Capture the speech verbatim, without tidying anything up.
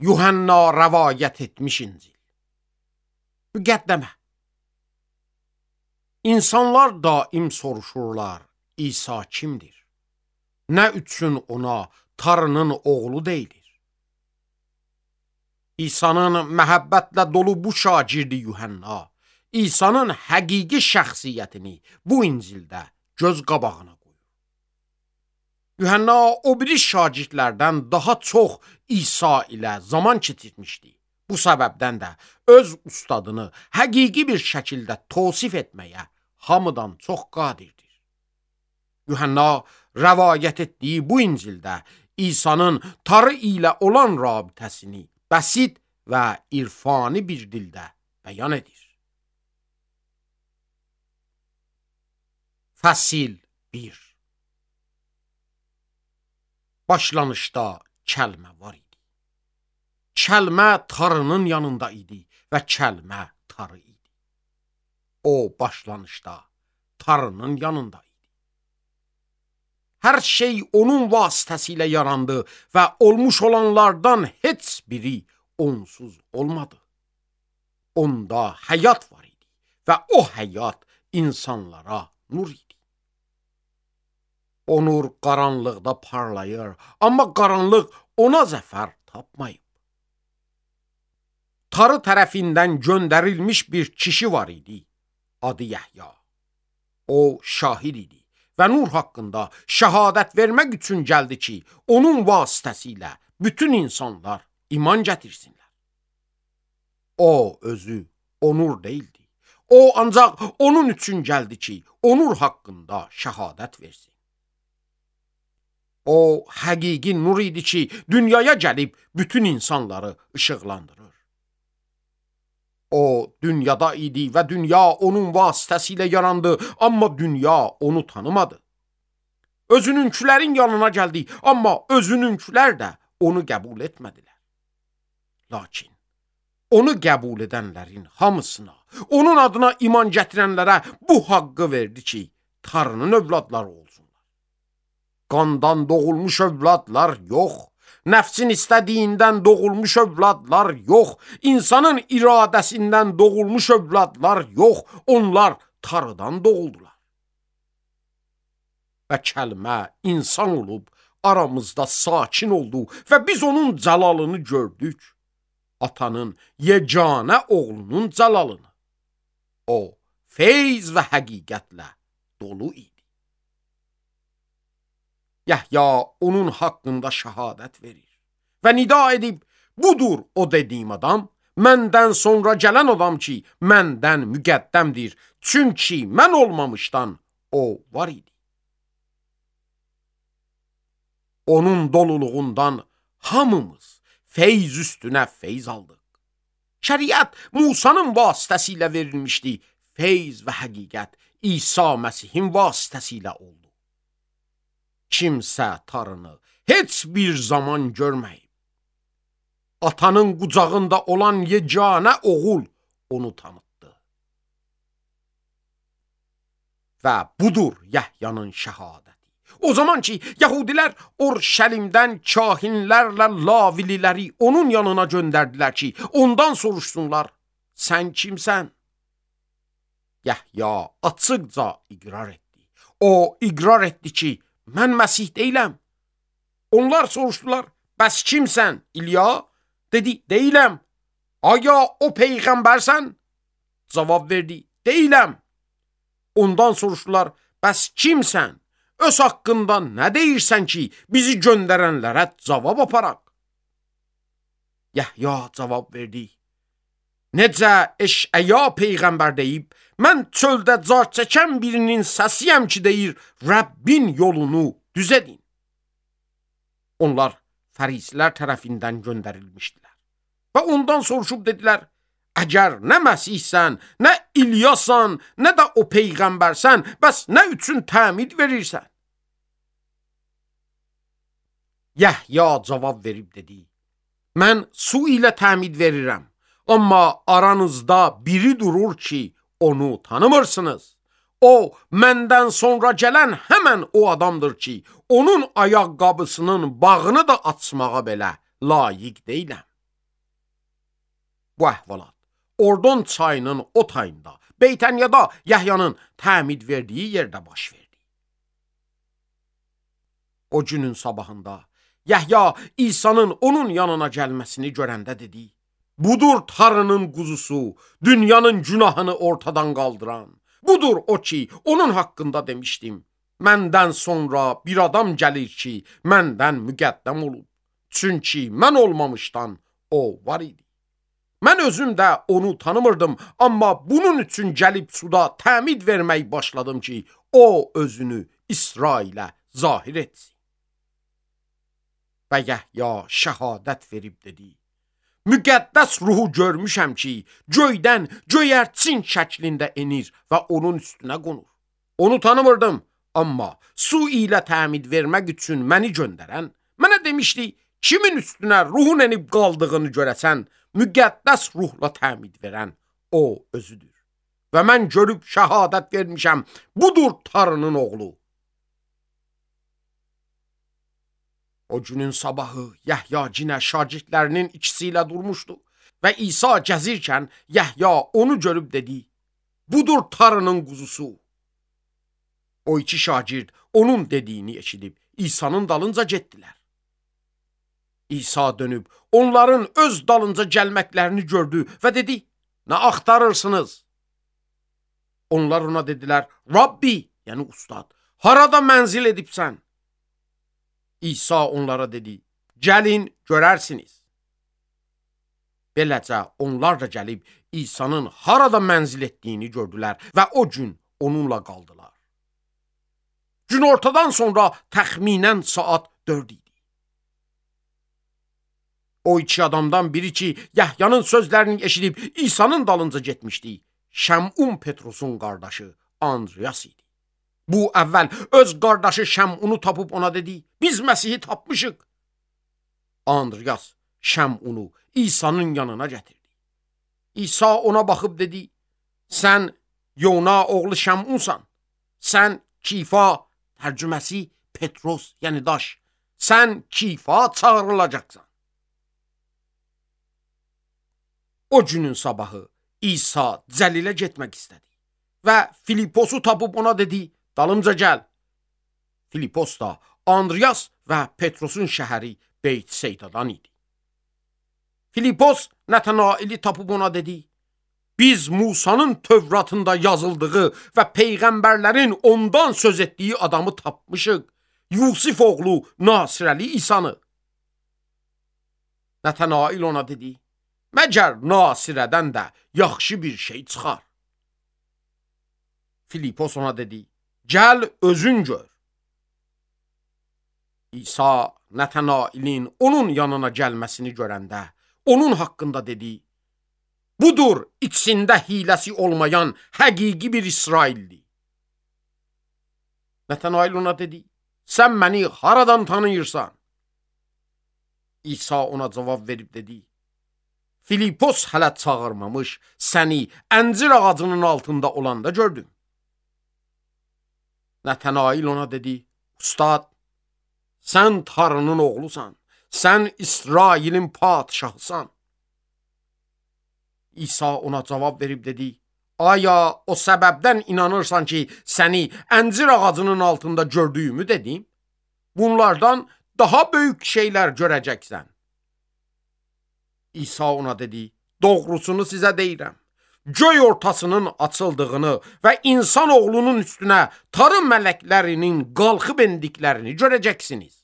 Yuhanna rəvayət etmiş İncil. Müqəddəmə. İnsanlar daim soruşurlar, İsa kimdir? Nə üçün ona Tanrının oğlu deyilir? İsa'nın məhəbbətlə dolu bu şagirdi Yuhanna, İsa'nın həqiqi şəxsiyyətini bu İncildə göz qabağına qoyur. Yuhanna o biri şagirdlərdən daha çox İsa ilə zaman keçirmişdi. Bu səbəbdən də öz ustadını həqiqi bir şəkildə tavsif etməyə hamıdan çox qadirdir. Yuhanna rəvayət etdiyi bu İncildə İsa'nın Tanrı ilə olan rabitəsini bəsit və irfani bir dildə bəyan edir. Fəsil bir. Başlanışda kəlmə var idi. Kəlmə Tanrının yanında idi və kəlmə Tanrı idi. O başlanışda Tanrının yanında idi. Hər şey onun vasitəsilə yarandı və olmuş olanlardan heç biri onsuz olmadı. Onda həyat var idi və o həyat insanlara nur idi. O nur qaranlıqda parlayır, amma qaranlıq ona zəfər tapmayıb. Tanrı tərəfindən göndərilmiş bir kişi var idi, adı Yəhya. O şahid idi və nur haqqında şəhadət vermək üçün gəldi ki, onun vasitəsilə bütün insanlar iman gətirsinlər. O özü o nur deyildi. O ancaq onun üçün gəldi ki, o nur haqqında şəhadət versin. O həqiqi nur idi ki, dünyaya gəlib bütün insanları işıqlandırır. O dünyada idi və dünya onun vasitəsilə yarandı, amma dünya onu tanımadı. Özününkülərin yanına gəldi, amma özününkülər də onu qəbul etmədilər. Lakin onu qəbul edənlərin hamısına, onun adına iman gətirənlərə bu haqqı verdi ki, Tanrının övladları olsunlar. Qandan doğulmuş övladlar yox, nəfsin istədiyindən doğulmuş övladlar yox, insanın iradəsindən doğulmuş övladlar yox, onlar Tanrıdan doğuldular. Və kəlmə insan olub aramızda sakin oldu və biz onun cəlalını gördük. Atanın yeganə oğlunun cəlalını. O, feyz və həqiqətlə dolu idi. Yəhya onun haqqında şəhadət verir və nida edib, budur o dediyim adam, məndən sonra gələn adam ki, məndən müqəddəmdir, çünki mən olmamışdan o var idi. Onun doluluğundan hamımız feyz üstünə feyz aldıq. Şəriət Musanın vasitəsilə verilmişdi, feyz və həqiqət İsa Məsihin vasitəsilə oldu. Kimsə Tanrını heç bir zaman görməyib. Atanın qucağında olan yeganə oğul onu tanıtdı. Və budur Yəhyanın şəhadəti. O zaman ki, Yahudilər Orşəlimdən kahinlərlə lavililəri onun yanına göndərdilər ki, ondan soruşsunlar, sən kimsən? Yəhya açıqca iqrar etdi. O iqrar etdi ki, mən Məsih deyiləm. Onlar soruşdular, bəs kimsən? İlya dedi, deyiləm. Aya o peyğəmbərsən? Cavab verdi, deyiləm. Ondan soruşdular, bəs kimsən? Öz haqqında nə deyirsən ki, bizi göndərənlərə cavab aparaq? Yəhya cavab verdi, necə Eşəya peyğəmbər deyib, mən çöldə car çəkən birinin səsiyəm ki, deyir, Rəbbin yolunu düz edin. Onlar fərisilər tərəfindən göndərilmişdilər və ondan soruşub dedilər, əgər nə Məsihsən, nə İlyasan, nə də o peyğəmbərsən, bəs nə üçün təmid verirsən? Yəhya cavab verib dedi, mən su ilə təmid verirəm, amma aranızda biri durur ki, onu tanımırsınız. O, məndən sonra gələn həmən o adamdır ki, onun ayaqqabısının bağını da açmağa belə layiq deyiləm. Bu əhvalat Ordon çayının o tayında, Beytəniyada Yahyanın təmid verdiyi yerdə baş verdi. O günün sabahında Yahya İsa'nın onun yanına gəlməsini görəndə dedi: "Budur Tanrının quzusu, dünyanın günahını ortadan qaldıran. Budur o ki, onun haqqında demişdim. Məndən sonra bir adam gəlir ki, məndən müqəddəm olub. Çünki mən olmamışdan o var idi. Mən özüm də onu tanımırdım, amma bunun üçün gəlib suda təmid vermək başladım ki, o özünü İsrailə zahir etsin." Və Yahya şəhadət verib dedi: "Müqəddəs ruhu görmüşəm ki, göydən göyərçin şəklində enir və onun üstünə qonur. Onu tanımırdım, amma su ilə təmid vermək üçün məni göndərən mənə demişdi, kimin üstünə ruhun enib qaldığını görəsən, müqəddəs ruhla təmid verən o özüdür. Və mən görüb şəhadət vermişəm, budur Tanrının oğlu." O günün sabahı Yahya cinə şagirdlərinin ikisi ilə durmuşdu və İsa gəzirkən Yahya onu görüb dedi: "Budur Tanrının quzusu." O iki şagird onun dediyini eşidib İsa'nın dalınca getdilər. İsa dönüb onların öz dalınca gəlməklərini gördü və dedi: "Nə axtarırsınız?" Onlar ona dedilər: "Rabbi, yəni ustad, harada mənzil edibsən?" İsa onlara dedi: "Gəlin, görərsiniz." Beləcə onlar da gəlib İsa'nın harada mənzil etdiyini gördülər və o gün onunla qaldılar. Günortadan sonra təxminən saat dörd idi. O iki adamdan biri ki, Yahyanın sözlərini eşidib İsa'nın dalınca getmişdi, Şəmun Petrosun qardaşı Andreas idi. Bu əvvəl öz qardaşı Şəmunu tapıb ona dedi: "Biz Məsihi tapmışıq." Andreas Şəmunu İsa'nın yanına gətirdi. İsa ona baxıb dedi: "Sən Yona oğlu Şəmunsan. Sən Kifa, tərcüməsi Petros, yəni daş. Sən Kifa çağırılacaqsan." O günün sabahı İsa Cəlilə getmək istədi və Filiposu tapıb ona dedi: "Dalımca gəl." Filipos da Andreas və Petrosun şəhəri Beytseydadan idi. Filipos Natanaili tapıb ona dedi: "Biz Musanın Tövratında yazıldığı və peyğəmbərlərin ondan söz etdiyi adamı tapmışıq, Yusif oğlu Nasirəli İsanı." Natanail ona dedi: "Məgər Nasirədən də yaxşı bir şey çıxar?" Filipos ona dedi: "Gəl özün gör." İsa Natanailin onun yanına gəlməsini görəndə onun haqqında dedi: "Budur içində hiləsi olmayan həqiqi bir İsrailli." Natanail ona dedi: "Sən məni haradan tanıyırsan?" İsa ona cavab verib dedi: "Filipos hələ çağırmamış, səni əncir ağacının altında olanda gördüm." Natanail ona dedi: "Ustad, sən Tanrının oğlusan, sən İsrailin padişahısan." İsa ona cavab verib dedi: "Aya o səbəbdən inanırsan ki, səni əncir ağacının altında gördüyümü dedim? Bunlardan daha böyük şeylər görəcəksən." İsa ona dedi: "Doğrusunu sizə deyirəm. Göy ortasının açıldığını və insan oğlunun üstünə tarım mələklərinin qalxıb endiklərini görəcəksiniz.